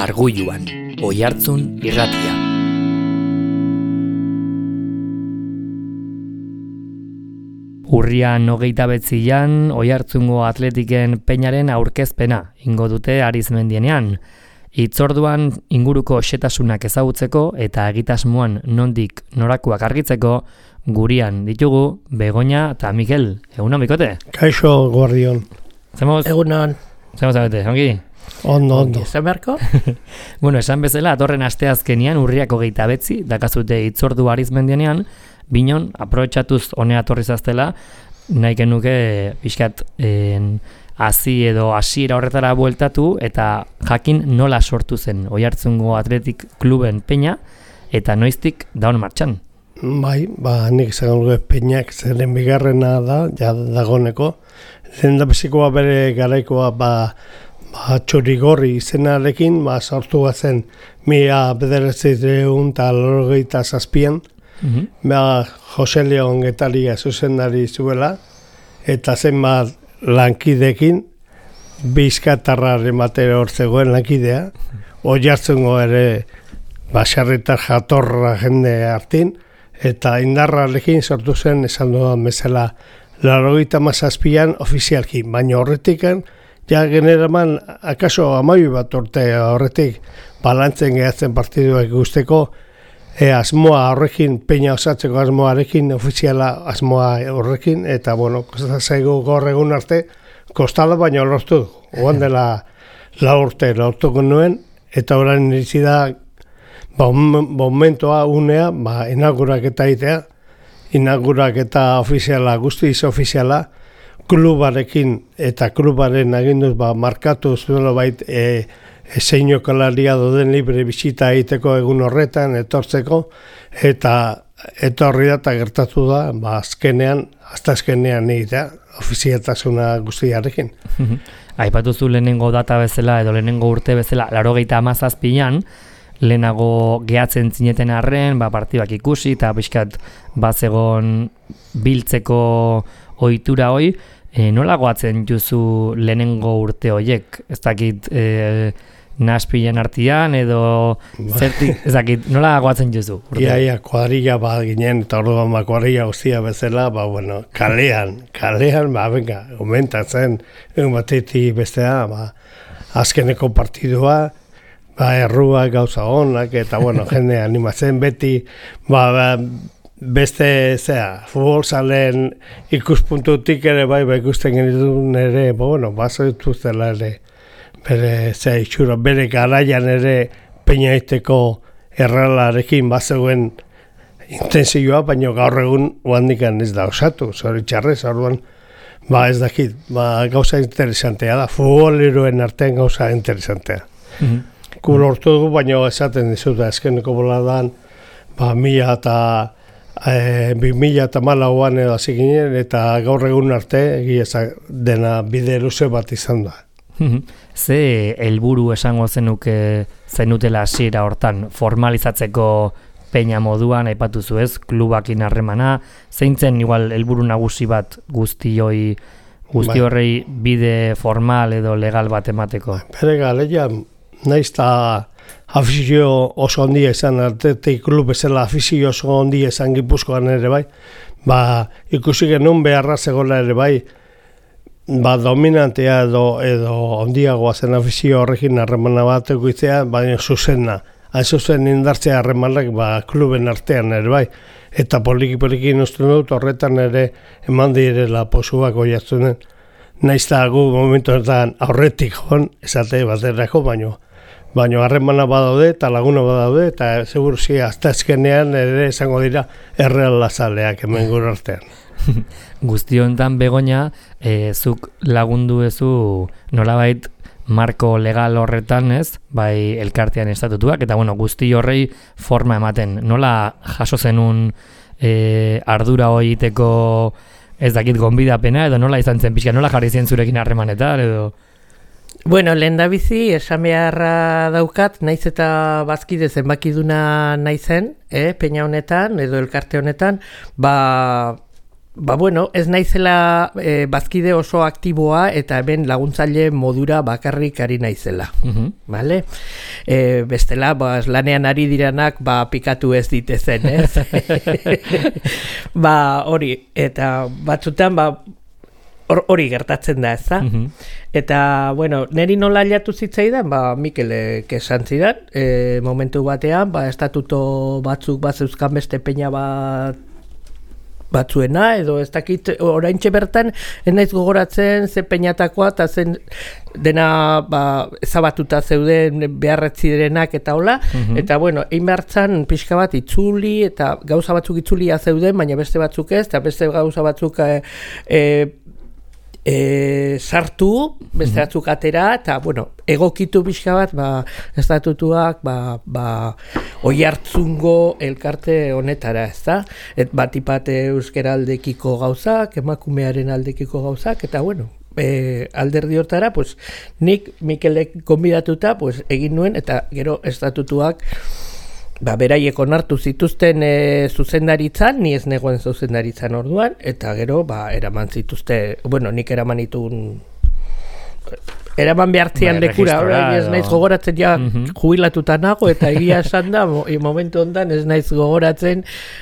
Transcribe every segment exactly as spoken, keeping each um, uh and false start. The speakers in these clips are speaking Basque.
Argulluan, Oihartzun irratia. Urrian hogeita betzian, Oihartzungo Atletiken Peñaren aurkezpena ingo dute Arizmendienean. Hitzorduan inguruko xetasunak ezagutzeko eta egitasmoan nondik norakoak argitzeko gurian ditugu Begoña eta Mikel. Egunon, Bikote? Kaixo, guardion. Zemoz? Egunon. Zemoz abete, ongi? Ondo, ondo. Esan beharko? Bueno, esan bezala, atorren asteazkenian urriak hogeita betzi, dakazute hitzordu Arizmendienean, binon, aprobetxatuz honea torri zaztela, nahi genuke pixkat hasi edo hasiera horretara bueltatu eta jakin nola sortu zen Oihartzungo Athletic Kluben Peña eta noiztik daun martxan. Bai, ba, nik izan dugu Peñak zeren bigarrena da, ja dagoneko. Zendabizikoa bere garaikoa, ba, ba Txurigorri izenarekin, ba, sortu zen mila bederatziehun eta laurogeita zazpian, mm-hmm. ba, Jose Leon Getaria zuzendari zuela, eta zenbat lankidekin, bizkatarraren batera hor zegoen lankidea, Oihartzungo ere basarritar jatorra jende hartin, eta indarrarekin sortu zen esan dudan bezala laurogeita hamazazpian ofizialki, baina horretikan, ja generaman, akaso amaiu bat urte horretik, balantzen gehatzen partiduak guzteko, e, asmoa horrekin, Peña osatzeko asmoarekin, ofiziala asmoa horrekin, eta, bueno, kostazaigu gaur egun arte, kostala baina lortu, oan dela la urte lortuko nuen, eta orain iritsi da, ba, momentoa, unea, ba, inauguraketa itea, inauguraketa ofiziala, guztiz ofiziala, klubarekin eta klubaren aginduz ba, markatu zuela bait e, e, zeinokalaria doden libre bisita egiteko egun horretan, etortzeko, eta etorri da eta gertatu da, ba, azkenean, hasta azkenean egitea, ofizialtasuna guztiarekin. Aipatu zu lehenengo data bezala edo lehenengo urte bezala, laurogeita hamazazpian, lehenago gehatzen zineten arren, ba, partibak ikusi eta pixkat bazegon biltzeko ohitura hoi, e, nola goatzen juzu lehenengo urte hoiek? Ez dakit e, naspilen artian edo zertik, ez dakit, nola goatzen juzu? Urte? Ia, ia, kuadrilla bat ginen, eta orduan ba, kuadrilla guztia bezala, ba, bueno, kalean, kalean, ba, venga, aumentatzen, egun batetik bestea, ba, azkeneko partidua, ba, errua gauza honak, eta, bueno, jende animatzen beti, ba, ba beste, zera, futbol zalen ikuspuntutik ere, bai, ba, ikusten genitun ere, ba, bueno, bazo dituztela ere, bere, zera, itxura, bere garaian ere Peña iteko erralarekin bazegoen intenzioa, baina gaur egun oandikan ez da osatu, zoritxarrez, orduan, ba, ez dakit, ba, gauza interesantea da, futboleroen artean gauza interesantea. Mm-hmm. Kul hortu dugu, baina esaten dizut, azkeneko boladan, ba, mila eta e, bi mila eta malauan edo hasi ginen, eta gaur egun arte, egia dena bide luze bat izan da. Ze helburu esango zenuke zenutela hasiera hortan formalizatzeko Peña moduan, aipatu zu ez, klubakin harremana, zeintzen igual helburu nagusi bat guztioi, guzti horrei bide formal edo legal bat emateko? Bere galeia, naiz eta afizio oso handia izan, Athletic klub bezala afizio oso handia izan Gipuzkoan ere bai, ba, ikusi genuen beharra zegoela ere bai, ba, dominantea edo, edo handiagoa zen afizio horrekin harremana bat egitea, baina zuzena, hain zuzen indartzea harremanak ba, kluben artean ere bai, eta poliki-poliki uste dut horretan ere eman direla posuak Oihartzunen. Naiz eta gu momentu horretan aurretik joan, esate baterako, baino, baino harremana badaude eta laguna badaude, eta seguru zi, hasta ezkenean ere esango dira erreal lazaleak hemen gure artean. Guzti honetan, Begoña, e, zuk lagundu ezu nolabait marko legal horretan, ez, bai elkartean estatutuak, eta bueno, guzti horrei forma ematen. Nola jaso zenun e, ardura hori egiteko ez dakit gonbidapena, edo nola izan zen pixka, nola jarri zien zurekin harremanetan, edo? Bueno, lehen da bizi, esan beharra daukat, naiz eta bazkide zenbakiduna naizen, eh, Peña honetan, edo elkarte honetan, ba, ba bueno, ez naizela e, bazkide oso aktiboa eta hemen laguntzaile modura bakarrik ari naizela. Uh-huh. Vale? E, bestela, ba, lanean ari diranak ba, pikatu ez ditezen, ez? Ba, hori, eta batzutan, ba, hori gertatzen da, ez da? Uh-huh. Eta, bueno, neri nola aliatu zitzaidan, ba, Mikelek esan zidan, e, momentu batean, ba, estatuto batzuk bat zeuzkan beste peña bat batzuena, edo ez dakit oraintxe bertan, ez naiz gogoratzen ze peinatakoa, eta zen dena ba, ezabatuta zeuden beharretzi direnak eta hola, uh-huh. Eta bueno, egin behartzan pixka bat itzuli, eta gauza batzuk itzulia zeuden, baina beste batzuk ez, eta beste gauza batzuk e, e, e, sartu, beste batzuk atera, eta bueno, egokitu pixka bat, ba, estatutuak, ba, ba, oi hartzungo elkarte honetara, ez da? Et bat ipat euskera aldekiko gauzak, emakumearen aldekiko gauzak, eta bueno, e, alderdi hortara, pues, nik Mikelek konbidatuta, pues, egin nuen, eta gero estatutuak, ba, beraiek onartu zituzten e, zuzendaritzan, ni ez negoen zuzendaritzan orduan, eta gero, ba, eraman zituzte, bueno, nik eraman itun eraman behartzian bai, lekura, orain ez naiz gogoratzen ja uh-huh. Jubilatuta nago, eta egia esan da, mo, momentu ondan ez naiz gogoratzen,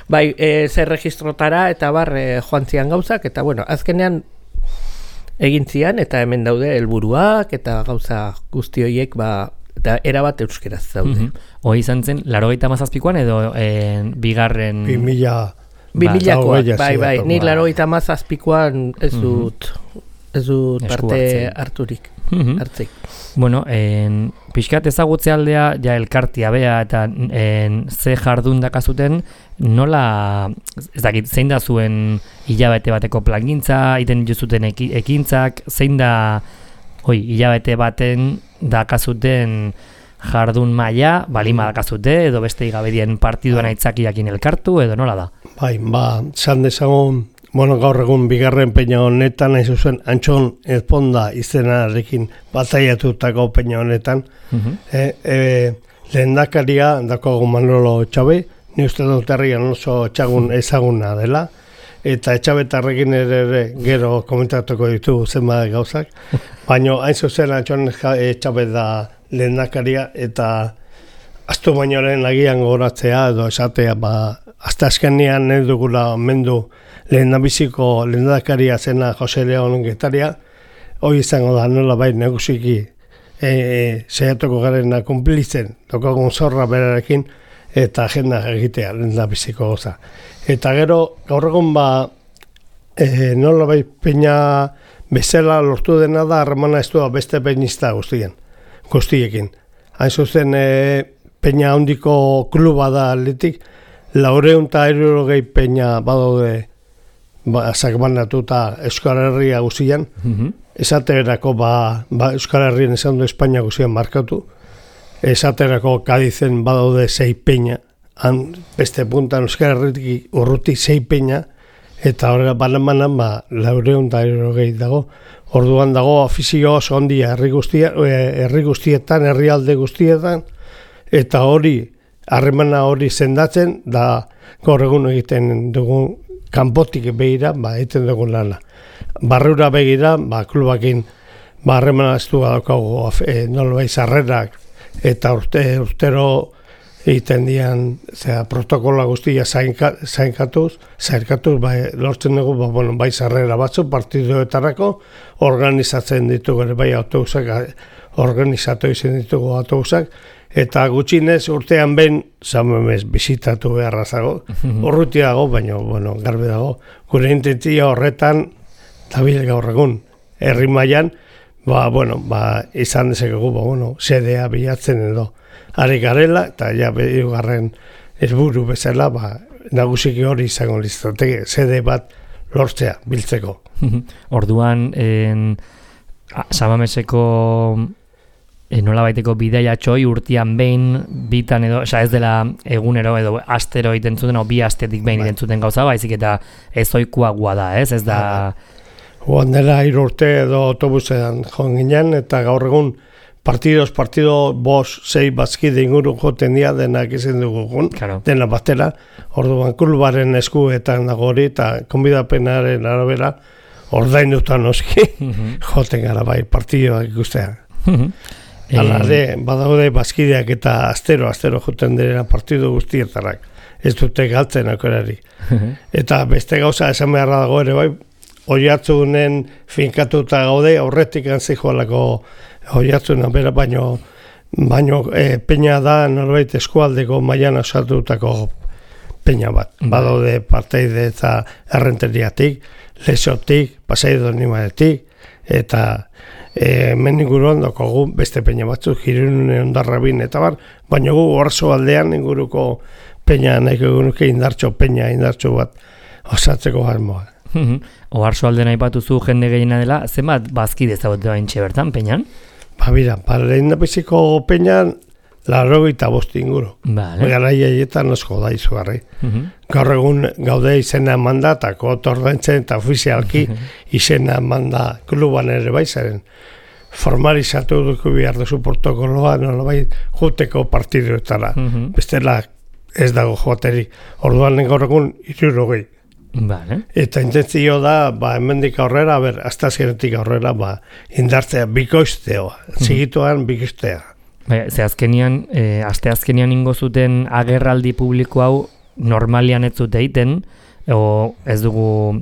bai, e, zer registrotara, eta bar, e, joan zian gauzak, eta bueno, azkenean egin zian, eta hemen daude helburuak eta gauza guzti horiek, ba, eta erabat euskeraz daude. Uh-huh. Hoi izan zen, larogeita mazazpikoan edo e, bigarren... Bi mila... Bi milakoa, bai, bai, ni larogeita mazazpikoan ez dut... Uh-huh. Ez dut parte harturik, uh-huh. Hartzik. Bueno, en, pixkat ezagutze aldea, ja elkartia bea eta en, ze jardun dakazuten, nola, ez dakit, zein da zuen hilabete bateko plangintza, iten jozuten eki, ekintzak, zein da, oi, hilabete baten dakazuten jardun maila, balima dakazute, edo beste igabedien partiduan aitzakiakin elkartu, edo nola da? Bai, ba, zan dezagun, bueno, gaur egun bigarren peña honetan, hain zuzen, Antxon Ezponda izenarekin bataiatutako peña honetan. Uh-huh. E, e, lehendakaria dakoagu Manolo Etxabe, ni uste dut herrian oso txagun ezaguna dela, eta Etxabetarrekin ere, ere gero komentatuko ditugu zenbat gauzak, baina hain zuzen Antxon Etxabe da lehendakaria, eta astu bainoren agian goratzea edo esatea, ba, hasta azkenean ez dugula mendu lehendabiziko lehendakaria zena Jose Leon Getaria, hoi izango da nola bai negusiki e, seiatuko garena kumplitzen, tokagun zorra berarekin, eta agenda egitea lehendabiziko goza. Eta gero, gaur egun ba, e, nola bai peña bezala lortu dena da, harremana ez du beste peñista guztien, guztiekin. Hain zuzen, e, peña handiko kluba da atletik, laureun eta hirurogei peña badaude ba, sakbanatuta Euskal Herria guztian, uh-huh. Esaterako ba, ba Euskal Herrien esan du Espainia guztian markatu, esaterako Kadizen badaude sei peña, han beste puntan Euskal Herritik urruti sei peña, eta horrela banan-banan ba, laureun eta hirurogei dago, orduan dago afizio oso handia herri guztia, herri guztietan, herrialde guztietan, eta hori, harremana hori sendatzen, da gaur egun egiten dugun kanpotik begira, ba, egiten dugun lana. Barrura begira, ba, klubakin, ba, harremana ez du daukagu, e, nolbai sarrerak, eta urte, urtero egiten dian, zera, protokola guztia zainkatuz, zainkatuz, ba, lortzen dugu, ba, bueno, bai sarrera batzu, partiduetarako, organizatzen ditugu, bai autobusak, organizatu izan ditugu autobusak, eta gutxinez urtean behin zamemez bizitatu beharra zago, urruti dago, baina bueno, garbi dago. Gure intentzia horretan, dabil gaur egun, herri mailan, ba, bueno, ba, izan dezakegu, ba, bueno, sedea bilatzen edo. Ari garela, eta ja behigarren helburu bezala, ba, nagusiki hori izango lizateke, sede bat lortzea, biltzeko. Orduan, en, Samameseko E, nola baiteko bidaia txoi urtean behin, bitan edo, oza, ez dela egunero edo astero egiten zuten, o bi astetik behin egiten zuten gauza, baizik eta ez oikua gua da, ez, ez da... Joan dela hiru urte edo autobusean joan ginen, eta gaur egun partidos, partido, bos, sei, bazkide inguru joten dira, denak izan dugun, Claro. dena batera, orduan klubaren eskuetan dago hori, eta konbidapenaren arabera, ordainutan noski, joten gara bai, partidoak ikustea. Hala ere, badaude bazkideak eta astero, astero joten direla partidu guztietarak. Ez dute galtzen akorari. Eta beste gauza esan beharra dago ere bai, Oiartzunen finkatuta gaude, aurretik antzijoalako Oiartzuna bera, baino, baino e, peña da norbait eskualdeko mailan osatutako peña bat. Badaude parteide eta errenteriatik, Lesotik, Pasaidonimaretik, eta e, meninguruan dokogu beste peña batzuk, Jirunune Ondarrabin eta bar, baina gu orso aldean inguruko peña, nahiko egunuke indartxo peña, indartxo bat osatzeko harmoa. Oharso alden aipatuzu jende gehiena dela, zenbat bazkide ezagutu baintxe bertan, peñan? Ba, bira, ba, lehen da biziko peñan, larrogeita bost inguru. Vale. Gara iaietan osko da izugarri. Gaur egun gaude izena manda, eta kotordaintzen eta ofizialki izena manda kluban ere baizaren. Formalizatu duku behar duzu protokoloa, nolabait juteko partiduetara. Bestela ez dago joateri. Orduan gaur egun hirurogei. Vale. Eta intentzio da, ba, hemendik aurrera, ber, astazkenetik aurrera, ba, indartzea, bikoizteoa, zigituan bikoiztea. Bai, ze azkenian, e, aste azkenian ingo zuten agerraldi publiko hau normalian ez zute egiten, o ez dugu,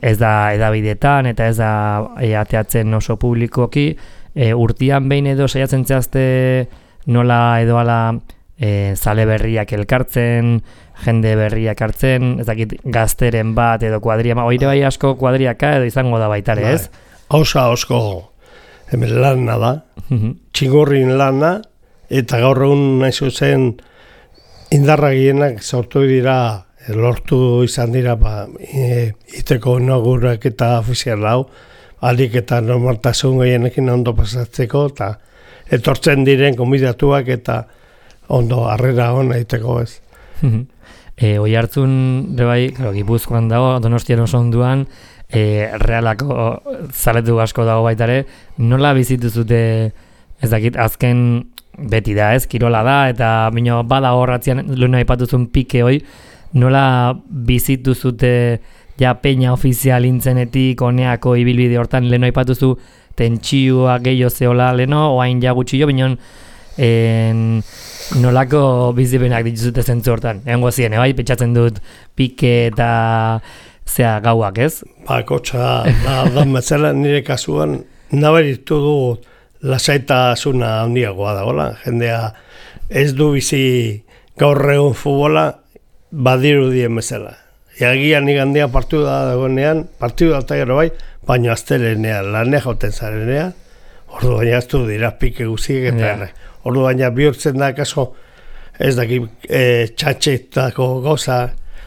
ez da edabidetan, eta ez da e, ateatzen oso publikoki, e, urtian behin edo saiatzen zehazte nola edo ala e, zale berriak elkartzen, jende berriak hartzen, ez dakit gazteren bat edo kuadria, oire bai asko kuadriaka edo izango da baitare, ez? Hauza osko hemen lana da, txingurrin lana, eta gaur egun nahi zuzen indarra gehienak sortu dira, lortu izan dira, ba, e, iteko inaugurak eta ofizial hau, alik eta normaltasun gehienekin ondo pasatzeko, eta etortzen diren konbidatuak eta ondo harrera hona iteko ez. E, Oiartzun, bai, claro, Gipuzkoan dago, Donostian oso onduan, e, realako zaletu asko dago baitare, nola bizitu zute, ez dakit, azken beti da, ez, kirola da, eta bino, bada horratzean, lehen aipatuzun pike hoi, nola bizitu zute ja peña ofizial intzenetik, oneako ibilbide hortan, lehen aipatuzu tentsioa gehiago zeola, leno, oain ja gutxi jo, binon, en, nolako bizipenak dituzute zentzu hortan. Egon gozien, bai, pentsatzen dut pike eta zea gauak, ez? Ba, kotxa, da, da metzela nire kasuan, nabaritu du lasaitasuna handiagoa dagoela. Jendea ez du bizi gaur egun futbola badiru dien bezala. Eagian igandia partidu da dagoenean, partidu da gero bai, baina aztelenean, lanea jauten zarenean, ordu baina ez du dira pike guziek eta yeah. Ordu baina bihurtzen da kaso, ez daki e, txatxetako gauza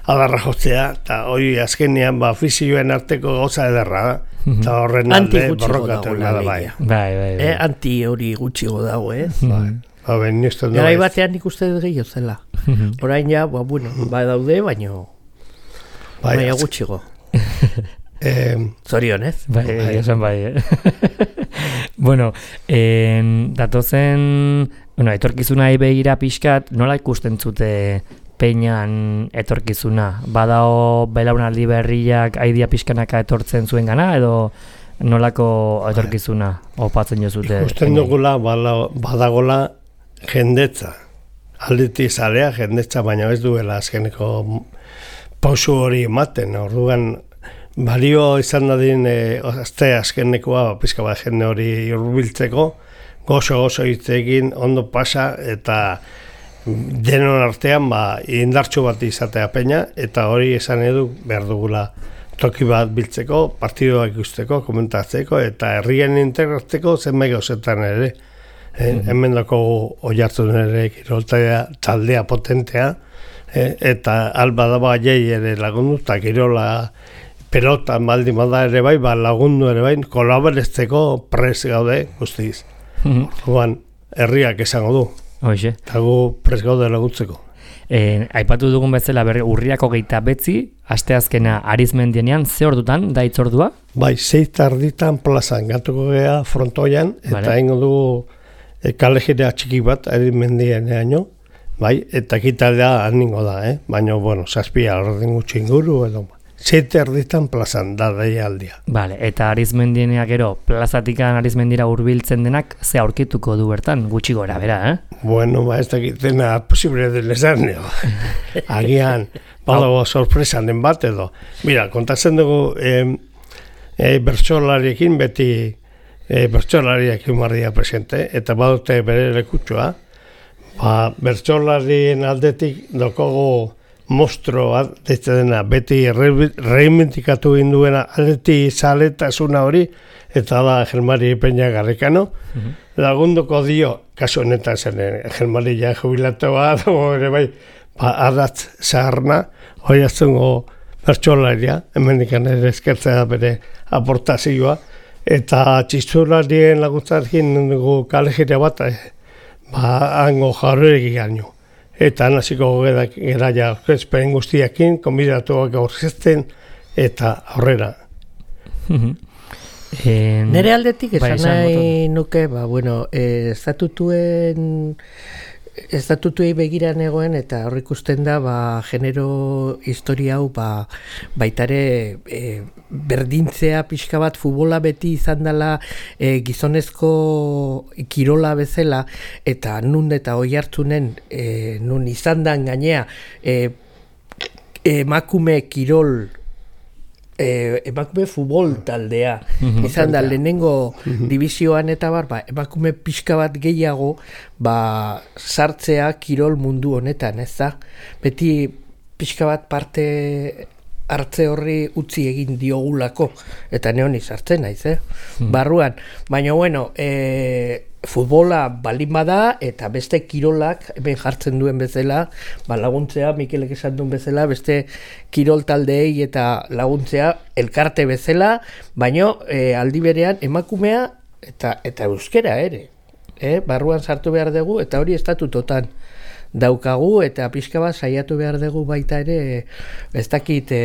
adarra jotzea, eta hori azkenean ba, fizioen arteko gauza ederra da, eta horren alde borrokatu da bai. Bai, bai, bai. Eh, anti hori gutxigo dago, ez? Bai. Ba, ben, nizten Garai batean nik uste dut gehiago zela. Orain ja, ba, bueno, ba daude, baino, bai, baina gutxigo. Eh, Zorion, ez? Bai, bai, esan bai, eh? Bueno, en, datozen, bueno, etorkizuna begira pixkat, nola ikusten zute peñan etorkizuna? Badao belaunaldi berriak aidia pixkanaka etortzen zuen gana, edo nolako etorkizuna opatzen jo zute? Ikusten dugula, badagola jendetza. Alditi zalea jendetza, baina ez duela azkeneko pausu hori ematen, orduan balio izan dadin e, azte azkenekoa pizka bat jende hori hurbiltzeko, gozo-gozo hitzekin ondo pasa eta denon artean ba, indartxo bat izatea peña, eta hori esan edu behar dugula toki bat biltzeko, partidoak ikusteko, komentatzeko, eta herrien integratzeko zenbait gauzetan ere. E, mm-hmm. Hemen dako Oiartzun ere kiroltarea taldea potentea, e, eta alba daba jai ere lagundu, eta kirola pelota maldi malda ere bai, ba lagundu ere bai, kolaborezteko pres gaude guztiz. Orduan, herriak esango du. Hoxe. Eta gu pres gaude laguntzeko. E, aipatu dugun bezala berri urriako geita betzi, asteazkena arizmendienean, ze ordutan, da itzordua? Bai, zei tarditan plazan, gatuko gea frontoian, eta vale. Ingo du e, kalejidea txiki bat, arizmendien eaino, bai, eta kitaldea aningo da, eh? Baina, bueno, zazpia ordin gutxi inguru, edo, zete erditan plazan, da daialdia. Vale, eta arizmendiena gero, plazatikan arizmendira hurbiltzen denak, ze aurkituko du bertan, gutxi gora, bera, eh? Bueno, ba, ez dakitena posible den esan, agian, badago sorpresan den bat edo. Mira, kontatzen dugu, eh, eh, bertsolariekin beti, eh, bertsolariak humarria presente, eta badute bere lekutsua, ba, bertsolarien aldetik dokogu mostro deitzen dena, beti reivindikatu induena aleti zaletasuna hori, eta da Gelmari Peña Garrikano, uh-huh. Lagunduko dio, kasu honetan zen, Gelmari ja jubilatoa, ere bai, ba, adatz zaharna, hori aztungo bertsolaria, hemendikan ere eskertzea bere aportazioa, eta txistularien laguntzarekin dugu kalejire bat, ba, hango jarreregi gaino. Eta naziko geraia aurkezpen guztiakin, konbidatuak aurkezten, eta aurrera. En... Nere aldetik esan nahi nuke, ba, bueno, eh, estatutuen estatutuei begiran egoen eta hor ikusten da ba, genero historia hau ba, baitare e, berdintzea pixka bat futbola beti izan dela e, gizonezko kirola bezala eta nun eta oi hartzunen e, nun izan dan gainea e, emakume kirol E, emakume futbol taldea mm-hmm. izan da lehenengo mm-hmm. divisioan eta bar, ba, emakume pixka bat gehiago ba, sartzea kirol mundu honetan, ez da? Beti pixka bat parte hartze horri utzi egin diogulako eta neoni sartzen naiz, eh? Mm-hmm. Barruan, baina bueno, e, futbola balin bada eta beste kirolak hemen jartzen duen bezala, ba laguntzea, Mikelek esan duen bezala, beste kirol taldeei eta laguntzea elkarte bezala, baino e, aldi berean emakumea eta eta euskera ere. Eh? Barruan sartu behar dugu eta hori estatutotan daukagu eta pixka bat saiatu behar dugu baita ere ez dakit e,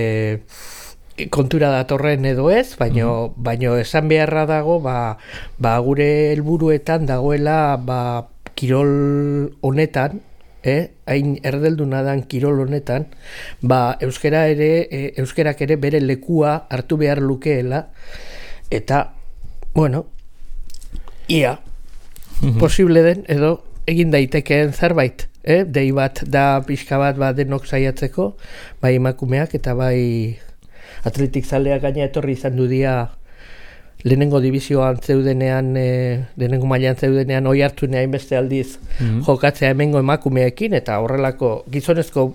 kontura datorren edo ez, baino, mm-hmm. baino esan beharra dago ba, ba gure helburuetan dagoela ba, kirol honetan, eh, hain erdelduna dan kirol honetan, ba euskera ere, e, euskerak ere bere lekua hartu behar lukeela, eta, bueno, ia, mm-hmm. posible den edo egin daitekeen zerbait, eh, dei bat da pixka bat ba, denok saiatzeko, bai emakumeak eta bai atletik zaleak gaina etorri izan du dia lehenengo divizioan zeudenean, e, lehenengo mailan zeudenean oi hartzunean hainbeste aldiz mm-hmm. jokatzea hemengo emakumeekin eta horrelako gizonezko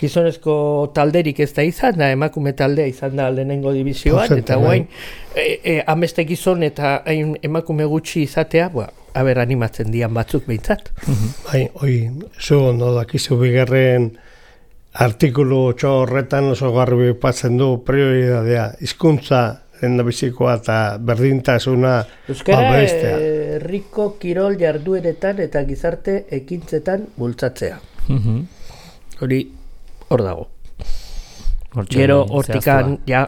gizonezko talderik ez da izan da, emakume taldea izan da lehenengo divizioan Porcente, eta guain e, e, ameste gizon eta hain emakume gutxi izatea, ba, haber animatzen dian batzuk behintzat. Mm-hmm. Bai, oi, zu ondo dakizu bigarren artikulu txo horretan oso garbi patzen du prioridadea, hizkuntza lehendabizikoa eta berdintasuna euskara herriko kirol jardueretan eta gizarte ekintzetan bultzatzea. Mm-hmm. Hori hor dago. Gero hortikan ja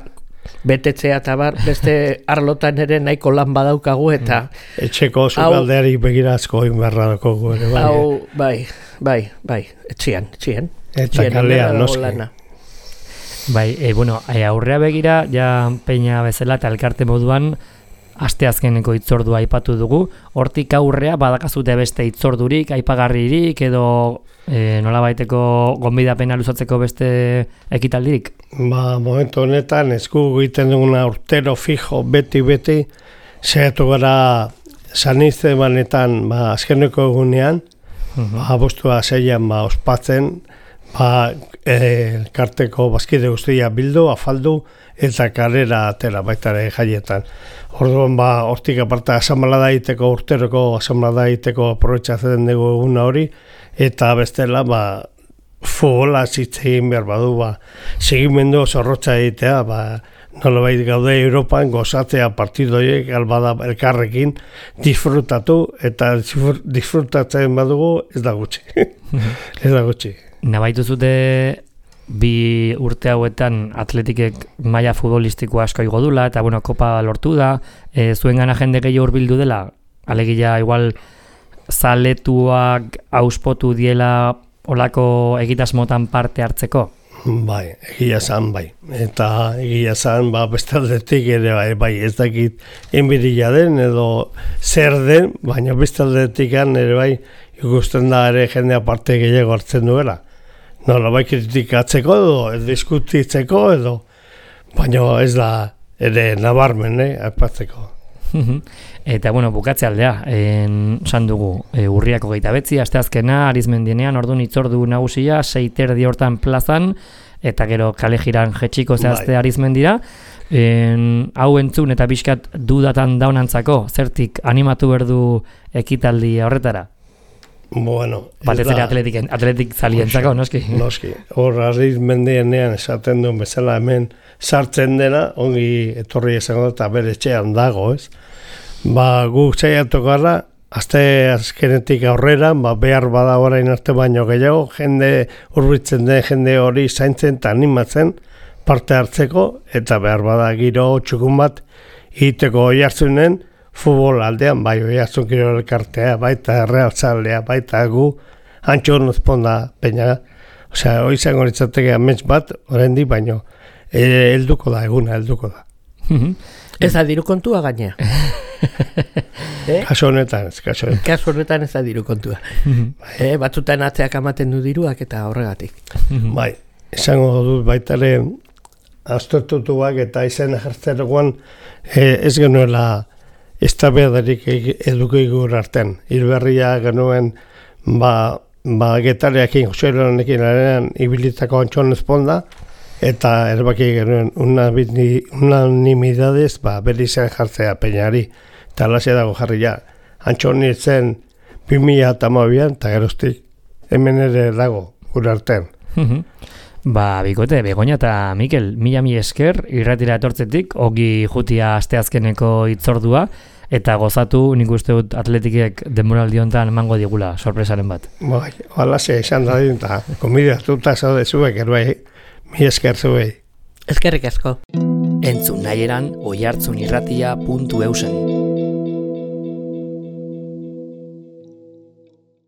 betetzea eta bar beste arlotan ere nahiko lan badaukagu eta etxeko sukaldeari begirazko inberra dakogu ere bai. Hau, bai, bai, bai, etxian, etxian. Eta kalea, noski. Bai, e, bueno, e, aurrea begira, ja Peña bezala eta elkarte moduan, asteazkeneko hitzordua aipatu dugu, hortik aurrea badakazute beste hitzordurik, aipagarririk, edo e, nolabaiteko gonbidapena luzatzeko beste ekitaldirik? Ba, momentu honetan, esku egiten duguna urtero fijo, beti-beti, zehatu gara Sanizte banetan, ba, azkeneko egunean, uh-huh. ba, abostua zeian, ba, ospatzen, ba, elkarteko bazkide guztia bildu, afaldu, eta karera atera baitare jaietan. Orduan, ba, hortik aparta asamblada egiteko, urteroko asamblada egiteko aprobetxatzen dugu eguna hori, eta bestela, ba, futbola zitzegin behar badu, ba, segimendu zorrotza egitea, ba, nolabait gaude Europan gozatzea partidoiek albada elkarrekin disfrutatu, eta disfrutatzen badugu ez da gutxi. ez da gutxi. Nabaitu zute bi urte hauetan atletikek maila futbolistiko asko igo dula, eta bueno, kopa lortu da, e, zuen gana jende gehiago hurbildu dela, alegia igual zaletuak auspotu diela olako egitasmotan parte hartzeko? Bai, egia zan bai. Eta egia zan, ba, bestaldetik ere bai, bai, ez dakit enbiria den edo zer den, baina bestaldetik ere bai, ikusten da ere jendea parte gehiago hartzen duela. Nola bai kritikatzeko edo, edo diskutitzeko edo, baina ez da ere nabarmen, eh, aipatzeko. Eta, bueno, bukatze aldea, esan dugu, e, urriako geita betzi, asteazkena, Arizmendienean, orduan itzordu nagusia, seiterdi hortan plazan, eta gero kale jiran jetxiko zehazte Arizmendira. En, hau entzun eta bizkat dudatan daunantzako, zertik animatu berdu ekitaldi horretara? Bueno, batez ere atletik, atletik zalientzako, noski? Noski, hor Arizmendienean esaten duen bezala hemen sartzen dena, ongi etorri esango eta bere etxean dago, ez? Ba, guk saiatuko gara, azte azkenetik aurrera, ba, behar bada orain arte baino gehiago, jende hurbitzen den jende hori zaintzen eta animatzen parte hartzeko, eta behar bada giro txukun bat egiteko oihartzunen futbol aldean, bai oihartzun kirol elkartea, baita errealtzalea, baita gu, antxo nozponda peina. Osea, hori zango litzateke amets bat, oraindik baino, helduko da, eguna helduko da. Ez da diru kontua gainea. eh? Kaso honetan ez, kaso honetan. Kaso honetan ez da diru kontua. eh, batzutan atzeak amaten du diruak eta horregatik. Bai, esango dut baitare aztertutuak eta izen ejertzeroan eh, ez genuela eztabaidarik eduki gure artean. Hilberria genuen ba, ba getareakin, Joselonekin arenan ibilitako antxon esponda, eta erbaki genuen unanimidadez ba, bere izan jartzea peñari. Eta alaxe dago jarri ja. Antxon nintzen bi mila eta hamabian, eta geroztik hemen ere dago gure artean. Ba, bikote, Begoña eta Mikel, mila mi esker, irratira etortzetik, ogi jutia asteazkeneko itzordua, eta gozatu nik uste dut atletikek denboraldi hontan emango digula, sorpresaren bat. Bai, alaxe izan da dut, eta komidatuta zaude zuek, eruai, mi esker zuei. Eskerrik asko. Entzun nahieran oihartzunirratia puntu eusen.